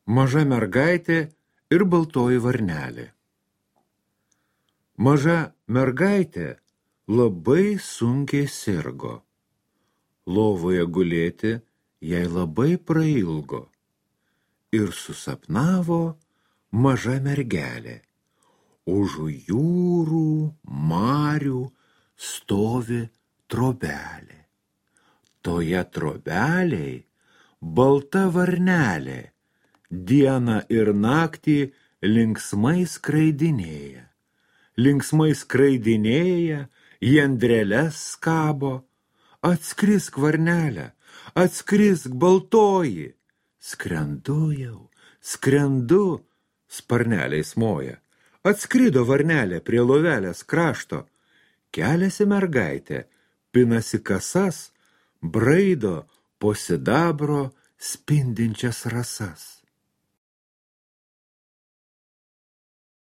Maža mergaitė ir baltoji varnelė. Maža mergaitė labai sunkiai sirgo. Lovoje gulėti jai labai prailgo. Ir susapnavo maža mergelė. Už jūrų, marių stovi trobelė. Toje trobelėj balta varnelė dieną ir naktį linksmai skraidinėja. Linksmai skraidinėja, į andreles skabo. Atskrisk, varnelė, atskrisk, baltoji. Skrendu jau, skrendu, sparneliais moja. Atskrido varnelė prie lovelės krašto. Keliasi mergaitė, pinasi kasas, braido po sidabro spindinčias rasas.